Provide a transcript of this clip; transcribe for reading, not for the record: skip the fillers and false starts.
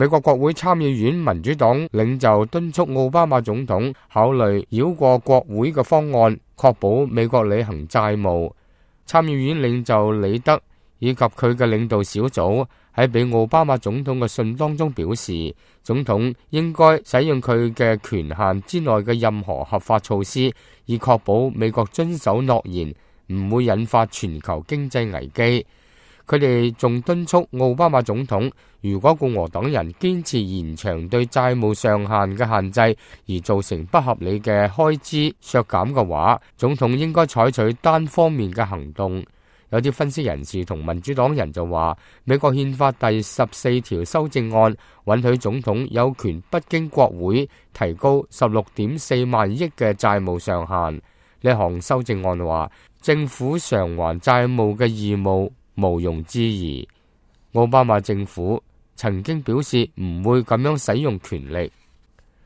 美國國會參議院民主黨領袖敦促奧巴馬總統考慮繞過國會嘅方案，確保美國履行債務。參議院領袖李德以及佢嘅領導小組喺俾奧巴馬總統嘅信當中表示，總統應該使用佢嘅權限之內嘅任何合法措施，以確保美國遵守諾言，唔會引發全球經濟危機。佢哋仲敦促奧巴馬總統，如果共和黨人堅持延長對債務上限嘅限制，而造成不合理嘅開支削減嘅話，總統應該採取單方面嘅行動。有啲分析人士同民主黨人就話，美國憲法第14條修正案允許總統有權不經國會提高16.4萬億嘅債務上限。呢項修正案話，政府償還債務嘅義務毋庸置疑。奧巴馬政府曾經表示唔會咁樣使用權力。